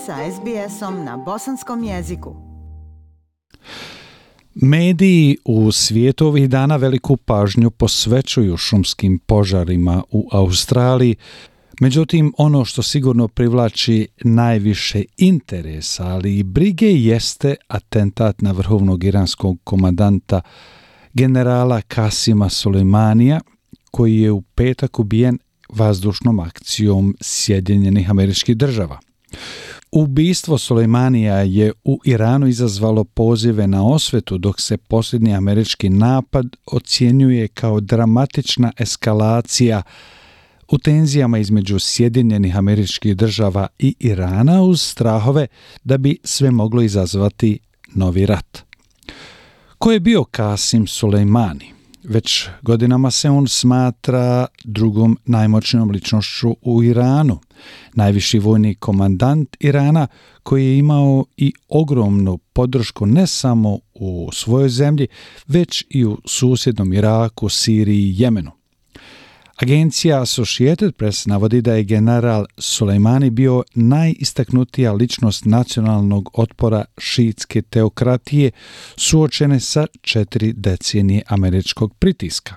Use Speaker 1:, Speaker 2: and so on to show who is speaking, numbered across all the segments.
Speaker 1: sa SBS-om na bosanskom jeziku.
Speaker 2: Mediji u svijetu ovih dana veliku pažnju posvećuju šumskim požarima u Australiji. Međutim, ono što sigurno privlači najviše interesa, ali i brige, jeste atentat na vrhovnog iranskog komandanta generala Kasima Sulejmanija, koji je u petak ubijen vazdušnom akcijom Sjedinjenih Američkih Država. Ubistvo Sulejmanija je u Iranu izazvalo pozive na osvetu, dok se posljednji američki napad ocjenjuje kao dramatična eskalacija u tenzijama između Sjedinjenih Američkih Država i Irana, uz strahove da bi sve moglo izazvati novi rat. Ko je bio Kasim Sulejmani? Već godinama se on smatra drugom najmoćnijom ličnošću u Iranu, najviši vojni komandant Irana koji je imao i ogromnu podršku ne samo u svojoj zemlji, već i u susjednom Iraku, Siriji i Jemenu. Agencija Associated Press navodi da je general Sulejmani bio najistaknutija ličnost nacionalnog otpora šiitske teokratije suočene sa 4 decenije američkog pritiska.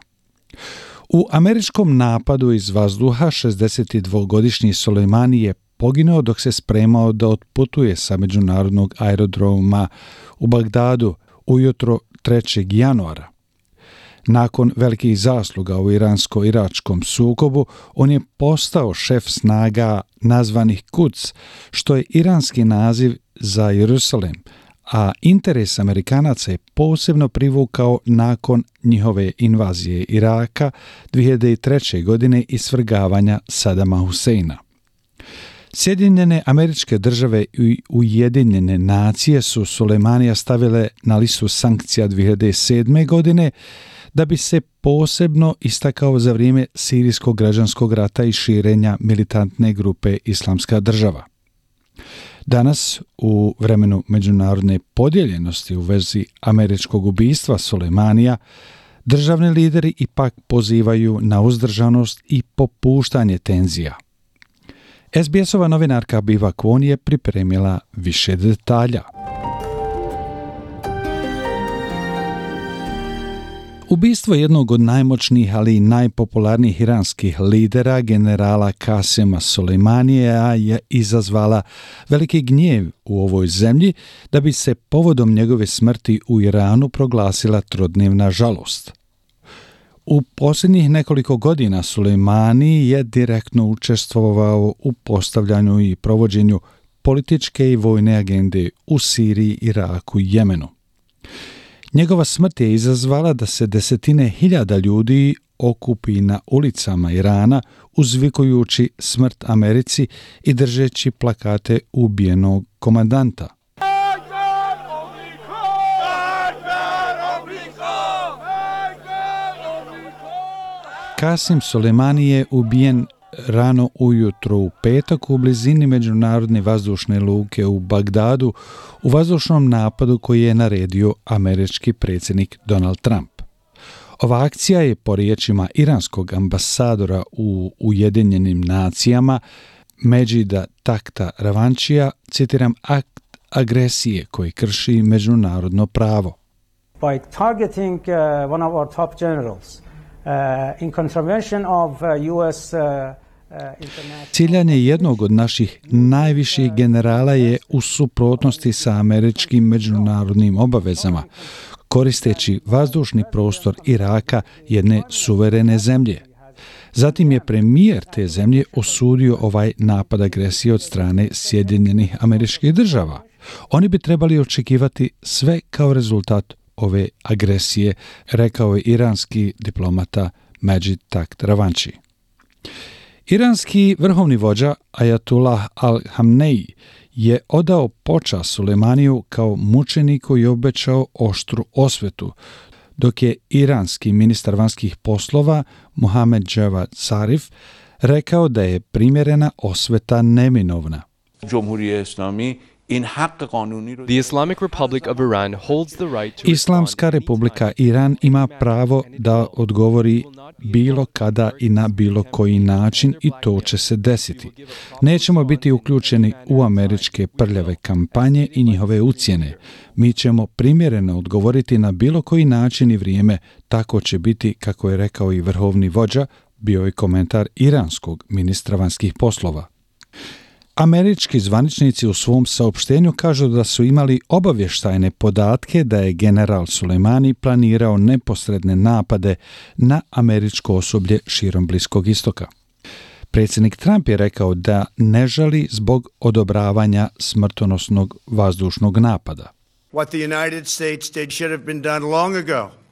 Speaker 2: U američkom napadu iz vazduha 62-godišnji Sulejmani je poginuo dok se spremao da otputuje sa međunarodnog aerodroma u Bagdadu ujutro 3. januara. Nakon velikih zasluga u iransko-iračkom sukobu, on je postao šef snaga nazvanih Quds, što je iranski naziv za Jerusalem, a interes Amerikanaca je posebno privukao nakon njihove invazije Iraka 2003. godine i svrgavanja Sadama Huseina. Sjedinjene Američke Države i Ujedinjene nacije su Sulejmanija stavile na listu sankcija 2007. godine, da bi se posebno istakao za vrijeme sirijskog građanskog rata i širenja militantne grupe Islamska država. Danas, u vremenu međunarodne podijeljenosti u vezi američkog ubistva Sulejmanija, državni lideri ipak pozivaju na uzdržanost i popuštanje tenzija. SBS-ova novinarka Biva Kwon je pripremila više detalja. Ubistvo jednog od najmoćnijih, ali i najpopularnijih iranskih lidera, generala Kasima Sulejmanija, je izazvala veliki gnjev u ovoj zemlji, da bi se povodom njegove smrti u Iranu proglasila trodnevna žalost. U posljednjih nekoliko godina Sulejmani je direktno učestvovao u postavljanju i provođenju političke i vojne agende u Siriji, Iraku i Jemenu. Njegova smrt je izazvala da se desetine hiljada ljudi okupi na ulicama Irana, uzvikujući smrt Americi i držeći plakate ubijenog komandanta. Kasim Sulejmani je ubijen rano ujutro u petak u blizini međunarodne vazdušne luke u Bagdadu u vazdušnom napadu koji je naredio američki predsjednik Donald Trump. Ova akcija je, po riječima iranskog ambasadora u Ujedinjenim nacijama Medžida Takta Ravančija, citiram, akt agresije koji krši međunarodno pravo.
Speaker 3: By targeting one of our top generals in contravention of US
Speaker 2: Ciljanje jednog od naših najviših generala je u suprotnosti sa američkim međunarodnim obavezama, koristeći vazdušni prostor Iraka, jedne suverene zemlje. Zatim je premijer te zemlje osudio ovaj napad agresije od strane Sjedinjenih Američkih Država. Oni bi trebali očekivati sve kao rezultat ove agresije, rekao je iranski diplomata Medžid Takht Ravanči. Iranski vrhovni vođa Ajatullah al-Hamneji je odao počast Sulejmaniju kao mučeniku i obećao oštru osvetu, dok je iranski ministar vanjskih poslova Mohammad Javad Zarif rekao da je primjerena osveta neminovna.
Speaker 4: Cumhuriyet Islami The Islamic Republic of Iran holds the right to
Speaker 2: Islamska republika Iran ima pravo da odgovori bilo kada i na bilo koji način i to će se desiti. Nećemo biti uključeni u američke prljave kampanje i njihove ucjene. Mi ćemo primjereno odgovoriti na bilo koji način i vrijeme, tako će biti, kako je rekao i vrhovni vođa, bio je komentar iranskog ministra vanjskih poslova. Američki zvaničnici u svom saopštenju kažu da su imali obavještajne podatke da je general Sulejmani planirao neposredne napade na američko osoblje širom Bliskog istoka. Predsjednik Trump je rekao da ne žali zbog odobravanja smrtonosnog vazdušnog napada.
Speaker 5: What the United States did should have been done long ago.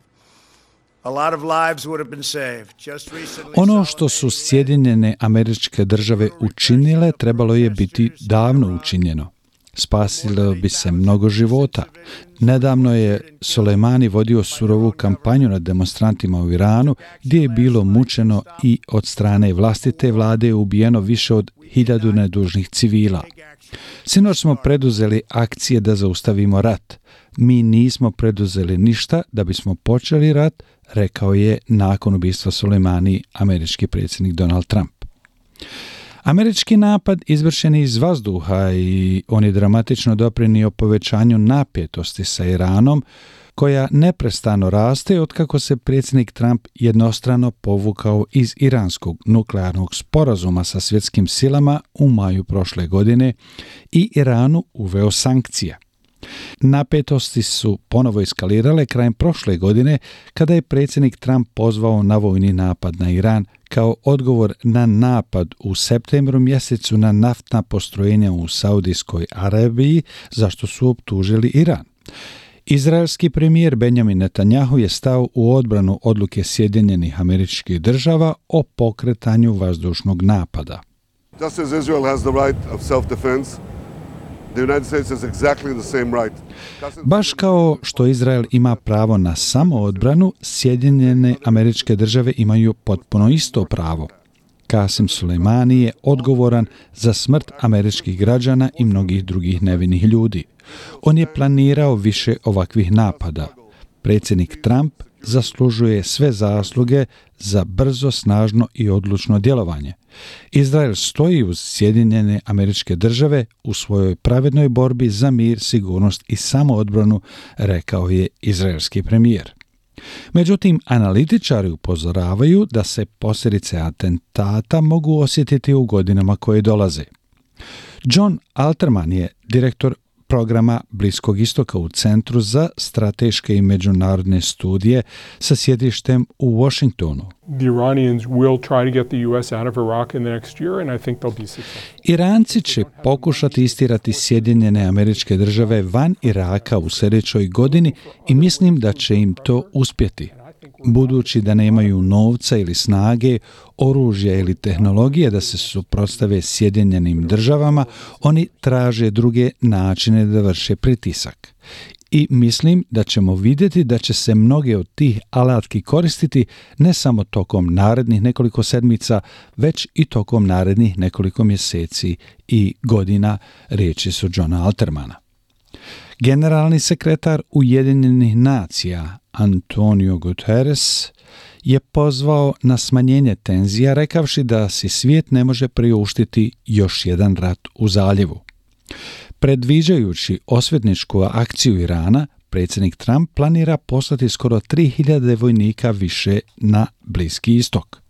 Speaker 5: A lot of lives would have been saved. Just recently,
Speaker 2: ono što su Sjedinjene Američke Države učinile trebalo je biti davno učinjeno. Spasilo bi se mnogo života. Nedavno je Sulejmani vodio surovu kampanju nad demonstrantima u Iranu, gdje je bilo mučeno i od strane vlastite vlade je ubijeno više od 1000 nedužnih civila. Sinoć smo preduzeli akcije da zaustavimo rat. Mi nismo preduzeli ništa da bismo počeli rat, rekao je nakon ubistva Sulejmani američki predsjednik Donald Trump. Američki napad izvršen je iz vazduha i on je dramatično doprinio povećanju napetosti sa Iranom, koja neprestano raste otkako se predsjednik Trump jednostrano povukao iz iranskog nuklearnog sporazuma sa svjetskim silama u maju prošle godine i Iranu uveo sankcije. Napetosti su ponovo eskalirale krajem prošle godine kada je predsjednik Trump pozvao na vojni napad na Iran kao odgovor na napad u septembru mjesecu na naftna postrojenja u Saudijskoj Arabiji, za što su optužili Iran. Izraelski premijer Benjamin Netanjahu je stao u odbranu odluke Sjedinjenih Američkih Država o pokretanju vazdušnog napada.
Speaker 6: Just as Israel has the right of self-defense, the United States has exactly the same right.
Speaker 2: Baš kao što Izrael ima pravo na samoodbranu, Sjedinjene Američke Države imaju potpuno isto pravo. Qasim Sulejmani je odgovoran za smrt američkih građana i mnogih drugih nevinih ljudi. On je planirao više ovakvih napada. Predsjednik Trump zaslužuje sve zasluge za brzo, snažno i odlučno djelovanje. Izrael stoji uz Sjedinjene Američke Države u svojoj pravednoj borbi za mir, sigurnost i samoodbranu, rekao je izraelski premijer. Međutim, analitičari upozoravaju da se posljedice atentata mogu osjetiti u godinama koje dolaze. John Alterman je direktor programa Bliskog istoka u Centru za strateške i međunarodne studije sa sjedištem u Washingtonu.
Speaker 7: The Iranians will try to get the US out of Iraq in the next year and I think they'll be successful.
Speaker 2: Iranci će pokušati istirati Sjedinjene Američke Države van Iraka u sljedećoj godini i mislim da će im to uspjeti. Budući da nemaju novca ili snage, oružja ili tehnologije da se suprotstave Sjedinjenim Državama, oni traže druge načine da vrše pritisak. I mislim da ćemo vidjeti da će se mnoge od tih alatki koristiti ne samo tokom narednih nekoliko sedmica, već i tokom narednih nekoliko mjeseci i godina, riječi su Johna Altermana. Generalni sekretar Ujedinjenih nacija Antonio Guterres je pozvao na smanjenje tenzija, rekavši da si svijet ne može priuštiti još jedan rat u zaljevu. Predviđajući osvetničku akciju Irana, predsjednik Trump planira poslati skoro 3000 vojnika više na Bliski istok.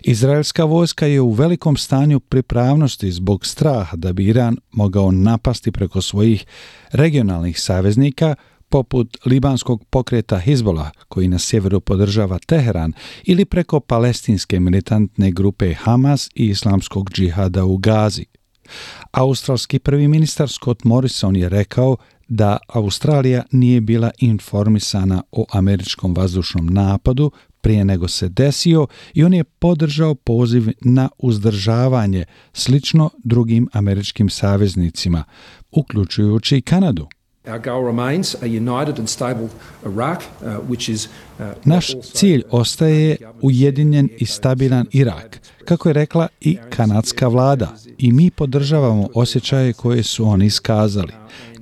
Speaker 2: Izraelska vojska je u velikom stanju pripravnosti zbog straha da bi Iran mogao napasti preko svojih regionalnih saveznika, poput libanskog pokreta Hizbolah, koji na sjeveru podržava Teheran, ili preko palestinske militantne grupe Hamas i islamskog džihada u Gazi. Australski prvi ministar Scott Morrison je rekao da Australija nije bila informisana o američkom vazdušnom napadu prije nego se desio i on je podržao poziv na uzdržavanje slično drugim američkim saveznicima, uključujući i Kanadu.
Speaker 8: Our goal remains a united and stable Iraq, which is
Speaker 2: Naš cilj ostaje ujedinjen i stabilan Irak, kako je rekla i kanadska vlada, i mi podržavamo osjećaje koje su oni iskazali.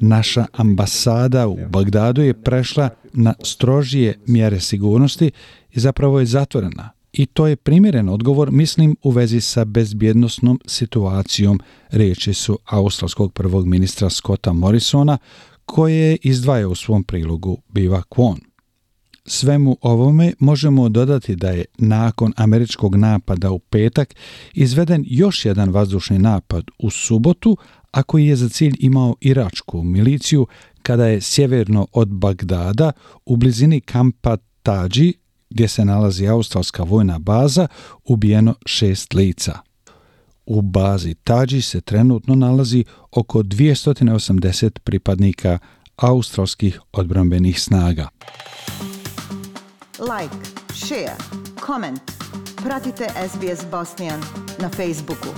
Speaker 2: Naša ambasada u Bagdadu je prešla na strožije mjere sigurnosti i zapravo je zatvorena. I to je primjeren odgovor, mislim, u vezi sa bezbjednosnom situacijom, riječi su australskog prvog ministra Scotta Morrisona, koje izdvaja u svom prilogu Biva Kwon. Svemu ovome možemo dodati da je nakon američkog napada u petak izveden još jedan vazdušni napad u subotu, a koji je za cilj imao iračku miliciju kada je sjeverno od Bagdada u blizini kampa Tađi, gdje se nalazi australska vojna baza, ubijeno 6 lica. U bazi Tađi se trenutno nalazi oko 280 pripadnika australskih odbrambenih snaga.
Speaker 1: Like, share, comment. Pratite SBS Bosnian na Facebooku.